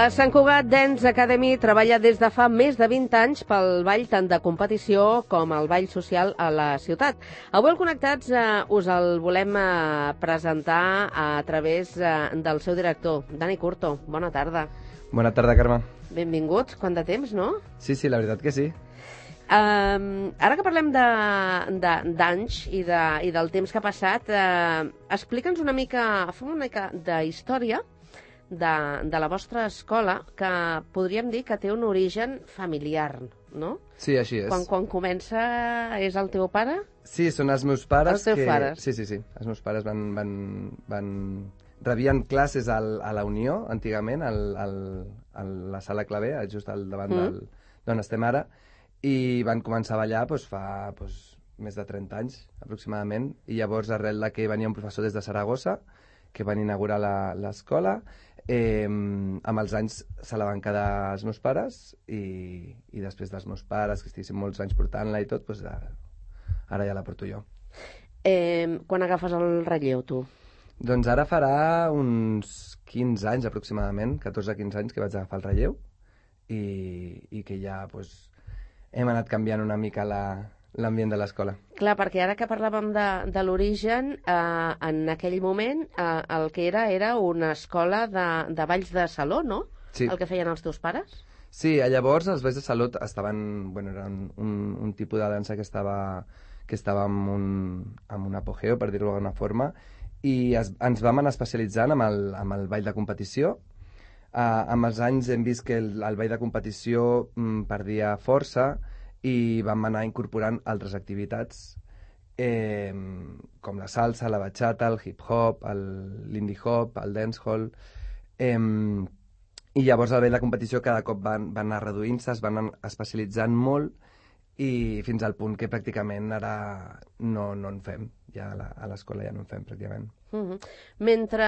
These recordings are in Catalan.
La Sant Cugat Dance Academy treballa des de fa més de 20 anys pel ball tant de competició com el ball social a la ciutat. Avui al Connectats us el volem presentar a través del seu director, Dani Curto. Bona tarda. Bona tarda, Carme. Benvinguts. Quant de temps, no? Sí, la veritat que sí. Ara que parlem d'anys i del temps que ha passat, explica'ns una mica, fem una mica d'història de la vostra escola, que podríem dir que té un origen familiar, no? Sí, així és. Quan comença és el teu pare? Sí, són els meus pares. Els teus pares? Sí. Els meus pares rebien classes a la Unió, antigament, a la sala Clavé, just al davant d'on estem ara, i van començar a ballar fa més de 30 anys, aproximadament, i llavors, arrel de que venia un professor des de Saragossa, que van inaugurar l'escola, amb els anys se la van quedar els meus pares, i després dels meus pares, que estiguessin molts anys portant-la i tot, ara ja la porto jo. Quan agafes el relleu, tu? Doncs ara farà uns 15 anys aproximadament, 14-15 anys que vaig agafar el relleu, i que ja hem anat canviant una mica l'ambient de l'escola. Clar, perquè ara que parlàvem de l'origen, en aquell moment el que era una escola de balls de saló, no? Sí. El que feien els teus pares? Sí, llavors els balls de saló estaven... era un tipus de dansa que estava en un apogeu, per dir-ho d'alguna forma, i ens vam anar especialitzant amb el ball de competició. Amb els anys hem vist que el ball de competició perdia força, i vam anar incorporant altres activitats com la salsa, la bachata, el hip-hop, l'indie hop, el dancehall, i llavors el ball de competició cada cop van anar reduint-se, es van anar especialitzant molt, i fins al punt que pràcticament ara no en fem, ja a l'escola ja no en fem pràcticament. Mentre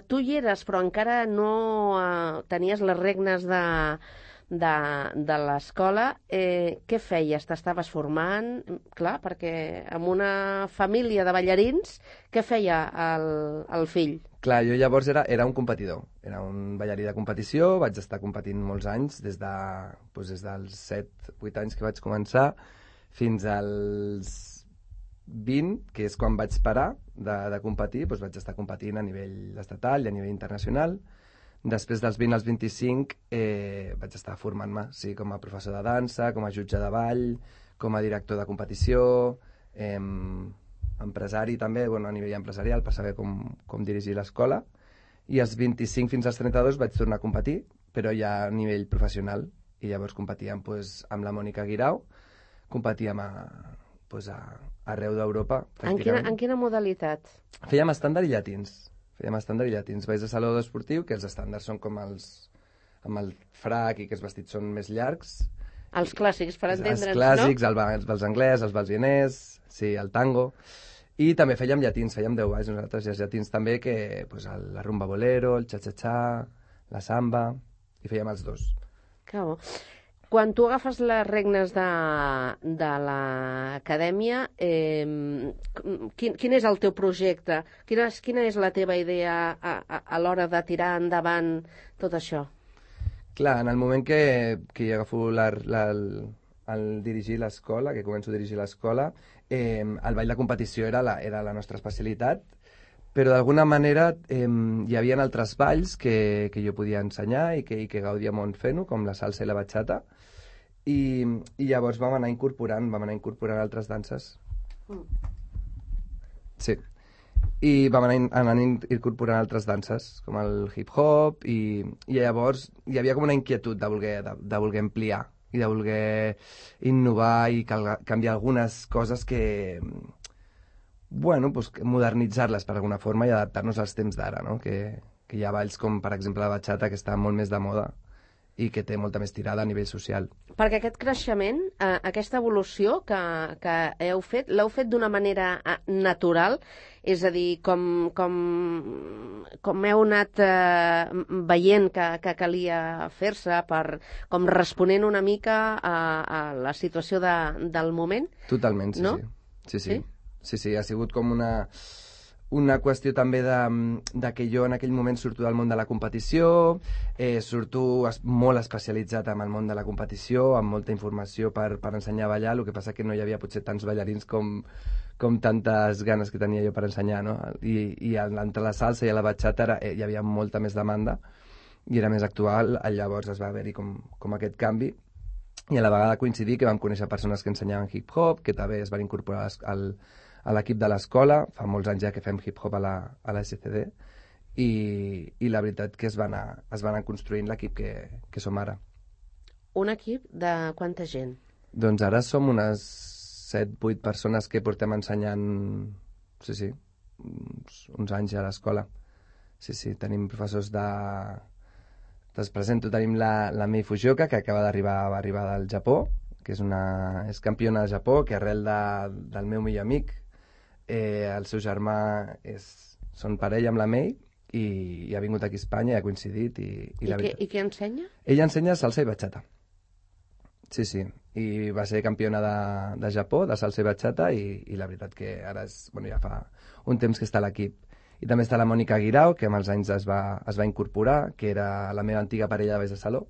tu hi eres però encara no tenies les regnes de l'escola, què feies? T'estaves formant? Clar, perquè amb una família de ballarins, què feia el fill? Clar, jo llavors era un competidor, era un ballarí de competició, vaig estar competint molts anys, des dels 7-8 anys que vaig començar, fins als 20, que és quan vaig parar de competir, vaig estar competint a nivell estatal i a nivell internacional. Després dels 20 als 25 vaig estar formant-me, sí, com a professor de dansa, com a jutge de ball, com a director de competició, empresari també, a nivell empresarial, per saber com dirigir l'escola. I als 25 fins als 32 vaig tornar a competir, però ja a nivell professional. I llavors competíem amb la Mònica Guirao, competíem arreu d'Europa, pràcticament. En quina modalitat? Fèiem estàndard i llatins. Balls de saló esportiu, que els estàndards són com amb el frac i que els vestits són més llargs. Els clàssics, per entendre'ns, no? Els clàssics, els balls anglès, els balls vienès, sí, el tango. I també fèiem llatins, fèiem 10 balls nosaltres, i els llatins també, que la rumba bolero, el cha-cha-cha, la samba, i fèiem els dos. Que bo. Quan tu agafes les regnes de l'acadèmia, quin és el teu projecte? Quina és la teva idea a l'hora de tirar endavant tot això? Clar, en el moment que jo agafo el dirigir l'escola, que començo a dirigir l'escola, el ball de competició era la nostra especialitat, però d'alguna manera hi havia altres balls que jo podia ensenyar i que gaudia molt fent-ho, com la salsa i la bachata, i llavors vam anar incorporant altres danses. Sí. I vam anar incorporant altres danses, com el hip-hop, i llavors hi havia com una inquietud de voler ampliar i de voler innovar i canviar algunes coses que modernitzar-les per alguna forma i adaptar-nos als temps d'ara, no? Que hi ha balls com, per exemple, la bachata, que està molt més de moda i que té molta més tirada a nivell social. Perquè aquest creixement, aquesta evolució que l'heu fet d'una manera natural, és a dir, com heu anat veient que calia fer-se, com responent una mica a la situació del moment? Totalment, sí, no? Sí, ha sigut com una qüestió també de que jo en aquell moment surto del món de la competició, surto molt especialitzat en el món de la competició, amb molta informació per ensenyar a ballar, el que passa que no hi havia potser tants ballarins com tantes ganes que tenia jo per ensenyar, no? I entre la salsa i la bachata hi havia molta més demanda i era més actual, llavors es va haver-hi com aquest canvi, i a la vegada coincidir que vam conèixer persones que ensenyaven hip-hop, que també es van incorporar a l'equip de l'escola, fa molts anys ja que fem hip-hop a la SCD, i la veritat que es va anar construint l'equip que som ara. Un equip de quanta gent? Doncs ara som unes 7-8 persones que portem ensenyant, sí, uns anys a l'escola. Sí, tenim professors Te'ls presento, tenim la Mei Fujioka, que acaba d'arribar del Japó, que és campiona de Japó, que arrel del meu millor amic, el seu germà són parella amb la Mei, i ha vingut aquí a Espanya i ha coincidit. I què ensenya? Ella ensenya salsa i bachata. Sí, i va ser campiona de Japó, de salsa i bachata, i la veritat que ara ja fa un temps que està a l'equip. I també està la Mònica Guirao, que amb els anys es va incorporar, que era la meva antiga parella de balls de saló,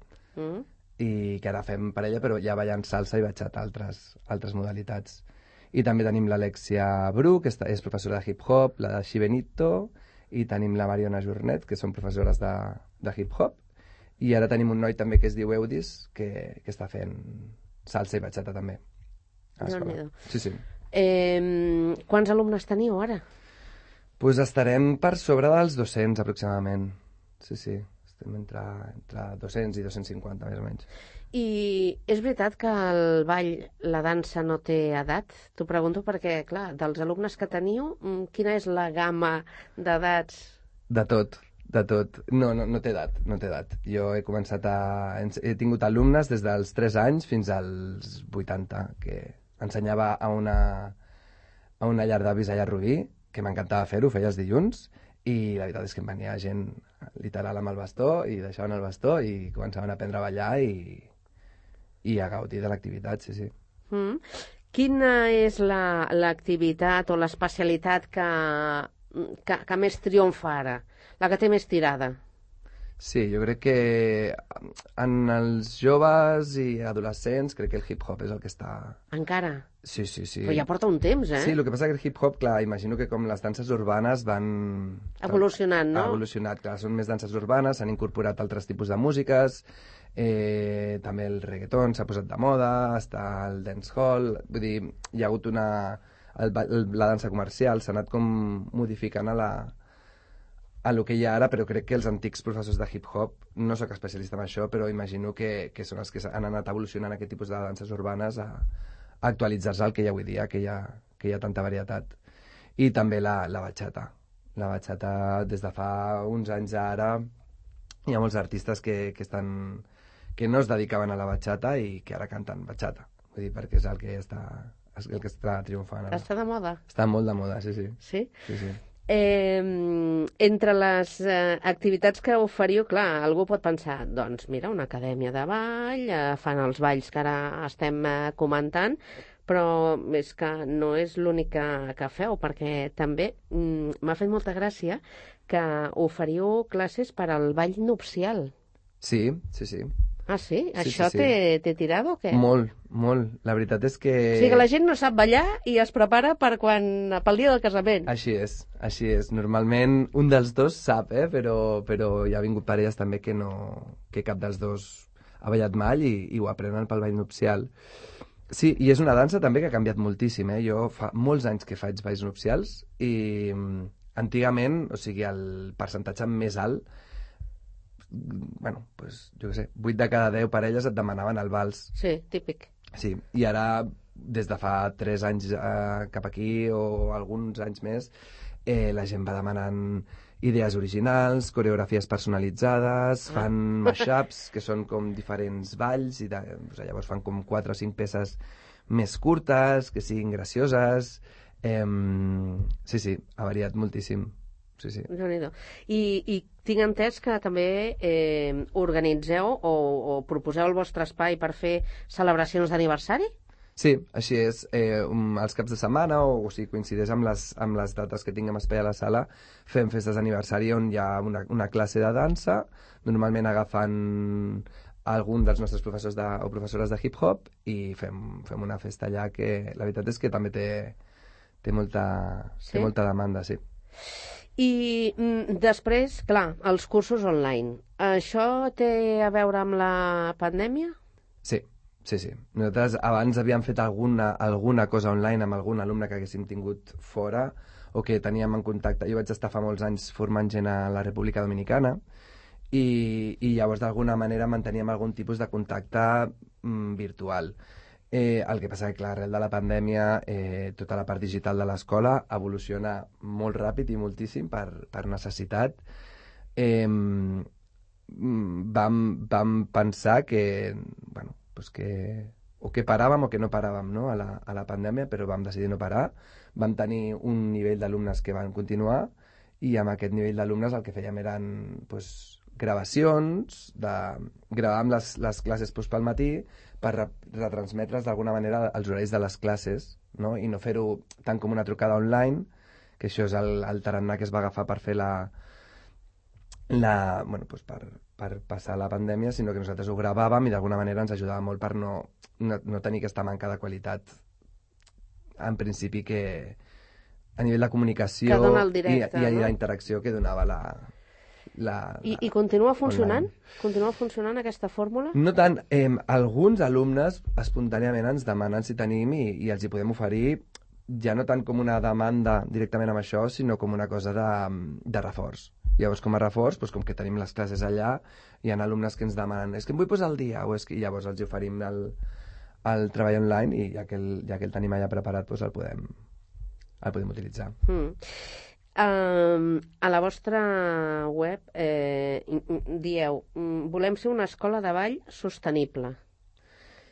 i que ara fem parella, però ja ballant salsa i bachata, altres modalitats. I també tenim l'Alexia Bru, que és professora de hip-hop, la de Xi Benito, i tenim la Mariona Jornet, que són professores de hip-hop, i ara tenim un noi també que es diu Eudis, que està fent salsa i bachata també. Sí. Quants alumnes teniu ara? Doncs estarem per sobre dels 200 aproximadament. Sí, estem entre 200 i 250 més o menys. I és veritat que el ball, la dansa no té edat? T'ho pregunto perquè, clar, dels alumnes que teniu, quina és la gamma d'edats? De tot. No té edat. Jo he tingut alumnes des dels 3 anys fins als 80, que ensenyava a una llar d'avis allà a Rubí, que m'encantava fer-ho, feia els dilluns, i la veritat és que em venia gent literal amb el bastó, i deixaven el bastó i començaven a aprendre a ballar i a gaudir de l'activitat, sí. Quina és l'activitat o l'especialitat que més triomfa ara? La que té més tirada? Sí, jo crec que en els joves i adolescents crec que el hip-hop és el que està... Encara? Sí. Però ja porta un temps, Sí, el que passa que el hip-hop, clar, imagino que com les danses urbanes van... Evolucionant, no? Ha evolucionat, clar, són més danses urbanes, s'han incorporat altres tipus de músiques, també el reggaeton s'ha posat de moda, està el dancehall, vull dir, hi ha hagut la dansa comercial, s'ha anat com modificant a lo que hi ha ara, però crec que els antics professors de hip-hop, no sóc especialista en això, però imagino que són els que han anat evolucionant aquest tipus de danses urbanes a actualitzar-se al que hi ha avui dia, que hi ha tanta varietat. I també la bachata. La bachata, des de fa uns anys ara, hi ha molts artistes que no es dedicaven a la bachata i que ara canten bachata. Vull dir, perquè és el que està triomfant ara. Està de moda? Està molt de moda, sí. Sí? Sí. Entre les activitats que oferiu, clar, algú pot pensar, doncs mira, una acadèmia de ball, fan els balls que ara estem comentant, però és que no és l'únic que feu, perquè també m'ha fet molta gràcia que oferiu classes per al ball nupcial. Sí. Ah, sí? Això sí. Té tirada o què? Molt. La veritat és que... O sigui que la gent no sap ballar i es prepara pel dia del casament. Així és. Normalment un dels dos sap, però hi ha vingut parelles també que cap dels dos ha ballat mai i ho aprenen pel ball nupcial. Sí, i és una dansa també que ha canviat moltíssim, Jo fa molts anys que faig balls nupcials i antigament, o sigui, el percentatge més alt, jo què sé, 8 de cada 10 parelles et demanaven el vals. Sí, típic. Sí, i ara, des de fa 3 anys cap aquí, o alguns anys més, la gent va demanant idees originals, coreografies personalitzades, fan mashups, que són com diferents balls, i llavors fan com 4 o 5 peces més curtes, que siguin gracioses. Sí, ha variat moltíssim. Sí. I tinc entès que també organitzeu o proposeu el vostre espai per fer celebracions d'aniversari? Sí, així és. Els caps de setmana, o si coincideix amb les dates que tinguem espai a la sala, fem festes d'aniversari on hi ha una classe de dansa, normalment agafant algun dels nostres professors o professores de hip-hop i fem una festa allà que la veritat és que també té molta demanda, sí. I després, clar, els cursos online. Això té a veure amb la pandèmia? Sí. Nosaltres abans havíem fet alguna cosa online amb algun alumne que haguéssim tingut fora o que teníem en contacte. Jo vaig estar fa molts anys formant gent a la República Dominicana i llavors d'alguna manera manteníem algun tipus de contacte virtual. El que passa que, clar, arrel de la pandèmia, tota la part digital de l'escola evoluciona molt ràpid i moltíssim per necessitat. Vam pensar que, bueno, pues que paràvem o que no paràvem, no? a la pandèmia, però vam decidir no parar. Vam tenir un nivell d'alumnes que van continuar i amb aquest nivell d'alumnes el que fèiem eren pues, gravacions, gravàvem les classes pel matí per retransmetre's d'alguna manera els horaris de les classes, no? I no fer-ho tant com una trucada online, que això és el tarannà que es va agafar per fer bueno, pues per passar la pandèmia, sinó que nosaltres ho gravàvem i d'alguna manera ens ajudava molt per no tenir aquesta manca de qualitat en principi que a nivell de comunicació que dona el directe, i no? la interacció que donava I continua funcionant? online. Continua funcionant aquesta fórmula? No tant. Alguns alumnes espontàniament ens demanen si tenim i els hi podem oferir ja no tant com una demanda directament amb això, sinó com una cosa de reforç. Llavors, com a reforç, doncs, com que tenim les classes allà, hi ha alumnes que ens demanen és que em vull posar al dia, i llavors els oferim el treball online i ja que el tenim allà preparat, doncs el podem utilitzar. A la vostra web dieu volem ser una escola de ball sostenible.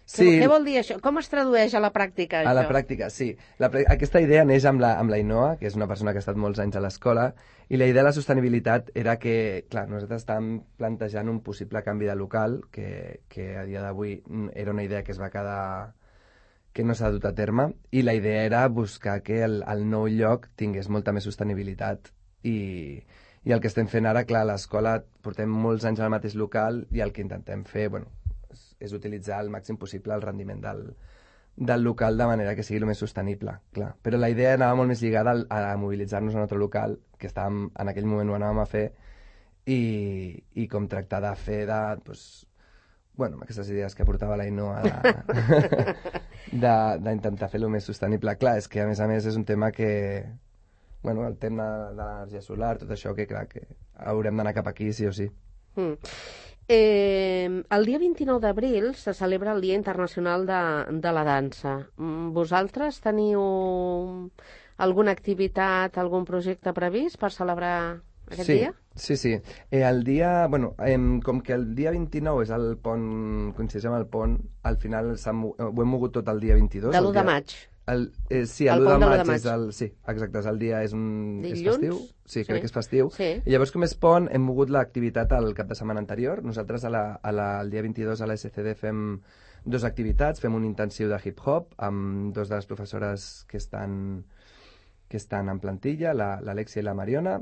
Sí. Què vol dir això? Com es tradueix a la pràctica, això? A la pràctica, sí. Aquesta idea neix amb la Ainhoa, que és una persona que ha estat molts anys a l'escola, i la idea de la sostenibilitat era que, clar, nosaltres estàvem plantejant un possible canvi de local, que a dia d'avui era una idea que es va quedar que no s'ha dut a terme, i la idea era buscar que el nou lloc tingués molta més sostenibilitat. I el que estem fent ara, clar, a l'escola portem molts anys al mateix local i el que intentem fer, bueno, és utilitzar al màxim possible el rendiment del local de manera que sigui el més sostenible, clar. Però la idea anava molt més lligada a mobilitzar-nos a un altre local, que en aquell moment ho anàvem a fer, i com tractar de fer doncs, bueno, aquestes idees que portava la Ainhoa d'intentar fer-lo més sostenible. Clar, és que a més és un tema que, bueno, el tema de l'energia solar, tot això, que clar, que haurem d'anar cap aquí sí o sí. El dia 29 d'abril se celebra el Dia Internacional de la Dansa. Vosaltres teniu alguna activitat, algun projecte previst per celebrar aquest dia? Sí. El dia, bueno, com que el dia 29 és el pont, coincideix amb el pont, al final ho hem mogut tot el dia 22. De l'1 de maig. Sí, el 1 de maig és sí, exacte, el dia és festiu. Sí, crec que és festiu. Sí. I llavors, com és pont, hem mogut l'activitat al cap de setmana anterior. Nosaltres el dia 22 a la SCD fem 2 activitats. Fem un intensiu de hip-hop amb 2 de les professores que estan en plantilla, l'Alexia i la Mariona,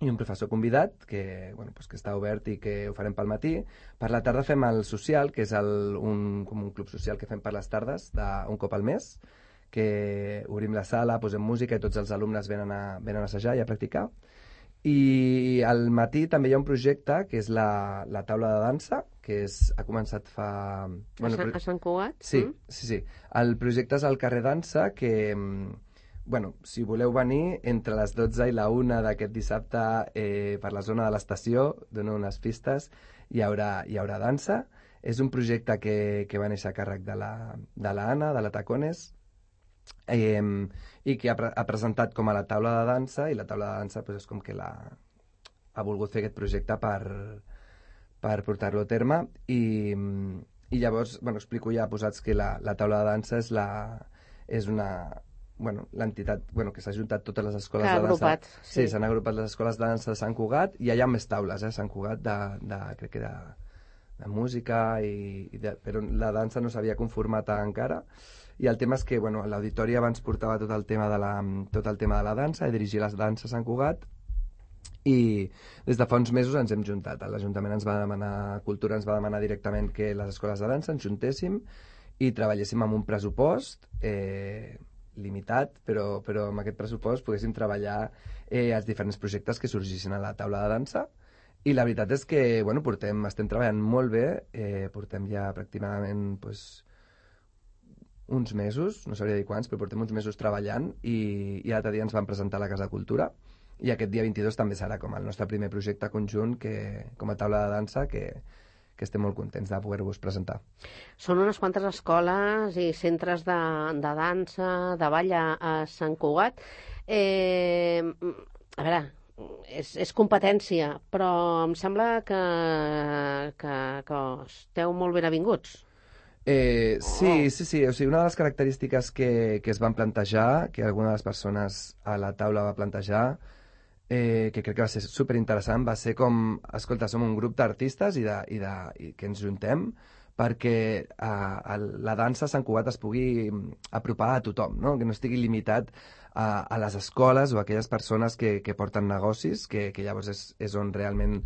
i un professor convidat que està obert i que ho farem pel matí. Per la tarda fem el social, que és com un club social que fem per les tardes, un cop al mes, que obrim la sala, posem música i tots els alumnes venen a assajar i a practicar. I al matí també hi ha un projecte que és la taula de dansa, que ha començat fa... A Sant Cugat? Sí. El projecte és al carrer Dansa, que, si voleu venir, entre les 12 i la 1 d'aquest dissabte per la zona de l'estació, dono unes pistes, hi haurà dansa. És un projecte que va néixer a càrrec de la Anna, de la Tacones, i que ha presentat com a la taula de dansa, i la taula de dansa és com que ha volgut fer aquest projecte per portar-lo a terme, i llavors explico ja posats que la taula de dansa és una l'entitat que s'ha ajuntat totes les escoles de dansa. Sí, s'han agrupat les escoles de dansa de Sant Cugat, i hi ha més taules a Sant Cugat crec que de música, però la dansa no s'havia conformat encara. I el tema és que l'auditori abans portava tot el tema de la dansa, i dirigir les danses a Sant Cugat, i des de fa uns mesos ens hem juntat. L'Ajuntament ens va demanar, Cultura ens va demanar directament que les escoles de dansa ens juntéssim i treballéssim amb un pressupost limitat, però amb aquest pressupost poguéssim treballar els diferents projectes que sorgissin a la taula de dansa. I la veritat és que estem treballant molt bé, portem ja pràcticament uns mesos, no sabria dir quants, però portem uns mesos treballant, i l'altre dia ens vam presentar a la Casa de Cultura, i aquest dia 22 també serà com el nostre primer projecte conjunt com a taula de dansa, que estem molt contents de poder-vos presentar. Són unes quantes escoles i centres de dansa, de ball a Sant Cugat. A veure, és competència, però em sembla que esteu molt ben avinguts. Sí. O sigui, una de les característiques que es van plantejar, que alguna de les persones a la taula va plantejar, que crec que va ser superinteressant, va ser com, escolta, som un grup d'artistes i que ens juntem perquè la dansa a Sant Cugat es pugui apropar a tothom, no? Que no estigui limitat a les escoles o a aquelles persones que porten negocis, que llavors és on realment,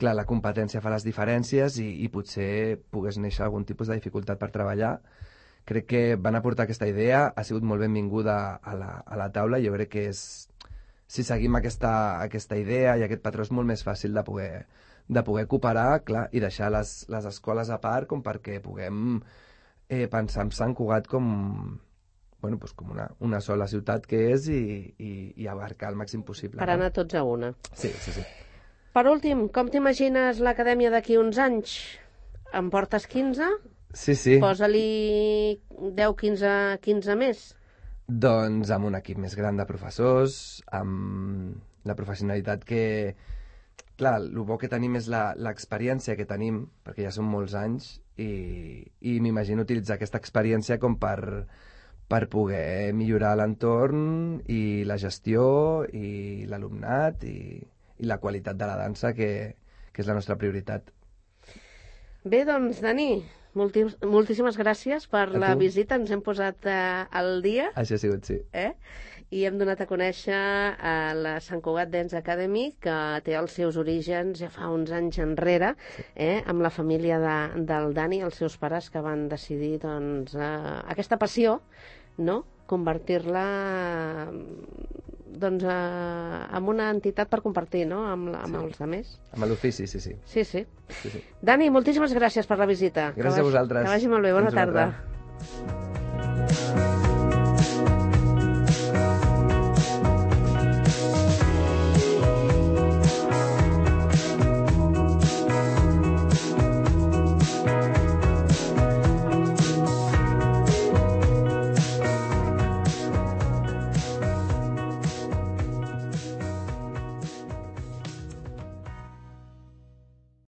clar, la competència fa les diferències i potser pogués néixer algun tipus de dificultat per treballar. Crec que van aportar aquesta idea, ha sigut molt benvinguda a la taula, i jo crec que si seguim aquesta idea i aquest patró és molt més fàcil de poder cooperar, clar, i deixar les escoles a part com perquè puguem pensar en Sant Cugat com una sola ciutat que és i abarcar el màxim possible. Per anar tots a una. Sí. Per últim, com t'imagines l'acadèmia d'aquí uns anys? En portes 15? Sí. Posa-li 10, 15 més. Doncs amb un equip més gran de professors, amb la professionalitat que... Clar, el bo que tenim és l'experiència que tenim, perquè ja són molts anys, i m'imagino utilitzar aquesta experiència com per poder millorar l'entorn i la gestió i l'alumnat i la qualitat de la dansa, que és la nostra prioritat. Bé, doncs, Dani, moltíssimes gràcies per la visita. Ens hem posat al dia. Això ha sigut, sí. I hem donat a conèixer a la Sant Cugat Dance Academy, que té els seus orígens ja fa uns anys enrere, amb la família del Dani, els seus pares, que van decidir doncs, aquesta passió, no?, convertir-la doncs, en una entitat per compartir, no?, amb els altres. Amb l'ofici, sí. Sí. Dani, moltíssimes gràcies per la visita. Gràcies a vosaltres. Que vagi molt bé, bona tarda.